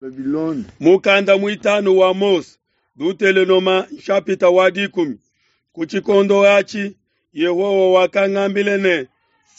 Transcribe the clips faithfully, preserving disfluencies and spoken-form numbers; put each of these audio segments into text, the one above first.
Babilone. Mukanda muitanu wa Mose, Dutelonoma nshapita wa dikumi. Ku tshikondo atshi Yehowa wakangambila ne,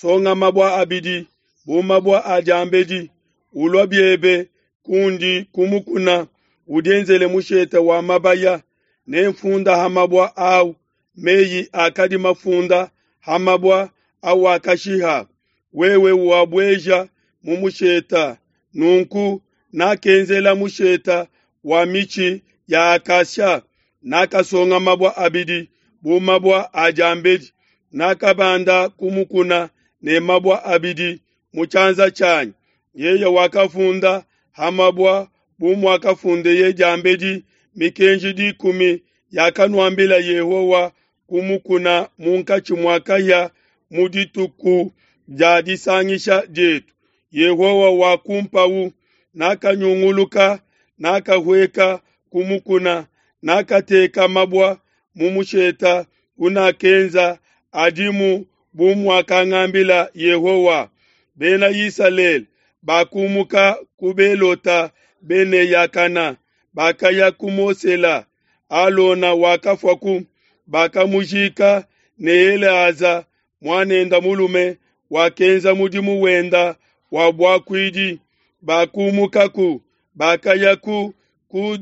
songa mabua abidi bu mabua a diambedi, ulua biebe kundi ku mukuna, udienzele mushete wa mabaya, nemfunda ha mabua au meyi akadi mafunda ha mabua awakashiha, wewe wabueja mu musheta. Nunku nakenzela musheta wa mitshi ya acacia, nakasonga mabua abidi bu mabua a diambedi, nakabanda ku mukuna ne mabua abidi mu tshianza tshianyi. Yeye wakafunda ha mabua bu muakafundeye diambedi mikenji dikumi yakanuambila Yehowa ku mukuna munkatshi mua kahia mu dituku dia disangisha dietu. Yehowa wakumpawu, nakanyunguluka, nakahueka ku mukuna, nakateka mabua mu musheta unakenza adimu bu muakangambila Yehowa. Bena Isalele bakumuka ku Belota Bene-Yakana, bakaya ku Mosela. Alona wakafuaku, bakamujika ne Eleaza muanenda mulume wakenza mudimu wenda wa buakuidi. Bakumukaku, bakaya ku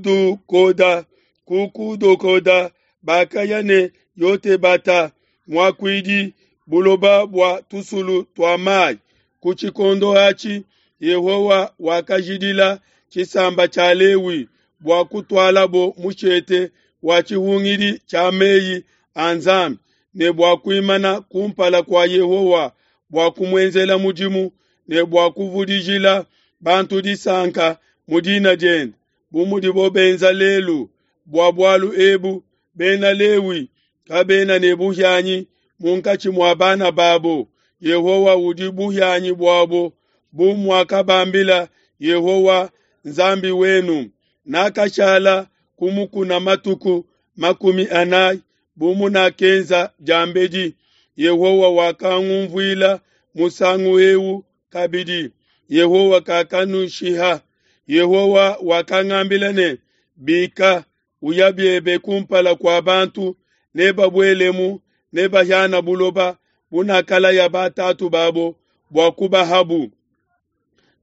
Kudukoda, ku Kudukoda bakaya ne Yotebata muakuidi buloba bua tusulu tua mai. Ku tshikondo atshi Yehowa wakajidila tshisamba tshia Lewi bua kutualabo mushete wa tshihungidi tshia meyi a Nzambi ne bua kuimana kumpala kua Yehowa bua kumuenzela mudimu ne bua kuvudijila bantu disanka mu dina diende, bu mudibo benza lelu. Bua bualu ebu Bena Lewi kabena ne buhianyi munkatshi mua bana babo. Yehowa udi buhianyi buabo, bu muakabambila Yehowa Nzambi wenu. Nakashala ku mukuna matuku makumi anayi bu munakenza diambedi. Yehowa wakangunvuila musangu eu kabidi. Yehowa kakanushiha. Yehowa wakangambila ne, Bika, uya biebe kumpala kua bantu, nebabuelemu, nebahiana buloba bunakalaya batatu babo bua kubahabu.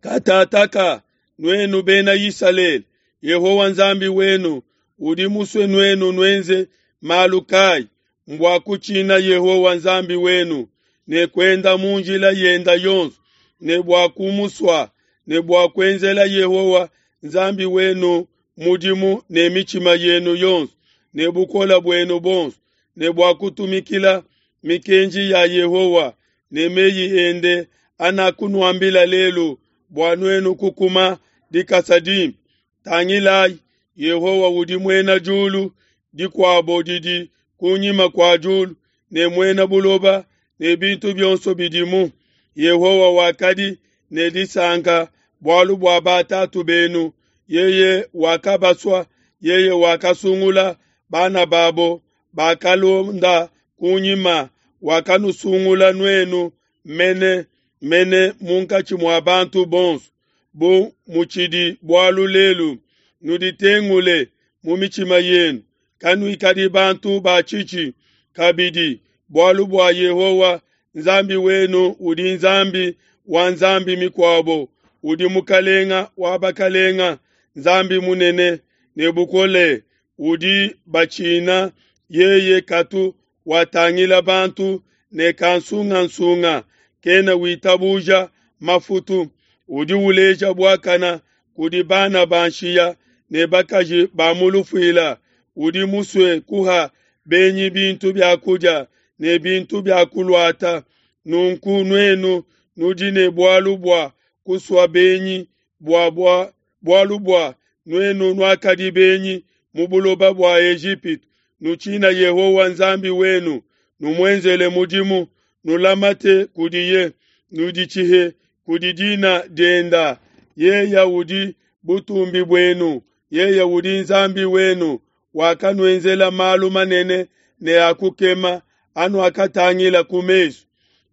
Katataka, nuenu Bena Isalele, Yehowa Nzambi wenu udi musue nuenu nuenze malu kayi? Mbua kutshina Yehowa Nzambi wenu ne kuenda mu njila yenda yonso, ne bua kumusua, ne bua kuenzela Yehowa Nzambi wenu mudimu ne mitshima yenu yonso ne bukole buenu buonso, ne bua kutumikila mikenji ya Yehowa ne meyi ende anakunuambila lelu, bua nuenu kukuma dikasa dimpe. Tangilayi, Yehowa udi muena diulu dikuabo didi kunyima kua diulu, ne muena buloba ne bintu bionso bidimu. Yehowa wakadi ne disanka bualu bua batatu benu, yeye wakabasua, yeye wakasungula bana babo bakalonda kunyima, wakanusungula nuenu mene mene munkatshi mua bantu bonso, bu mutshidi bualu lelu. Nuditengule mu mitshima yenu, kanuikadi bantu ba tshitshi kabidi, bualu bua Yehowa Nzambi wenu udi Nzambi wa nzambi mikuabo, udi Mukalenga wa bakalenga, Nzambi munene ne bukole, udi batshina. Yeye katu watangila bantu ne kansungansunga, kena witabuja mafutu, udi uleja buakana kudi bana ba nshiya ne bakaji ba mu lufuila, udi musue kuha benyi bintu bia kudia ne bintu bia kuluata. Nunku nuenu nudi ne bualu bua kusua benyi, bua bua bualu bua nuenu nuakadi benyi mu buloba bua Ejipitu. Nutshina Yehowa Nzambi wenu, numuenzele mudimu, nulamate kudiye, nuditshihe kudi dina dienda. Yeye udi butumbi buenu, yeye udi Nzambi wenu, wakanuenzela malu manene ne a kukema anuakatangila ku mesu.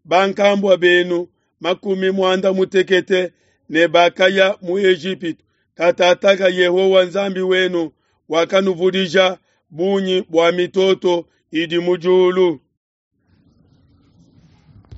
Bankambua benu makumi muanda mutekete ne bakaya mu Ejipitu Katataka Yehowa Nzambi wenu wakanuvudija bungi bua mitoto idi mu diulu.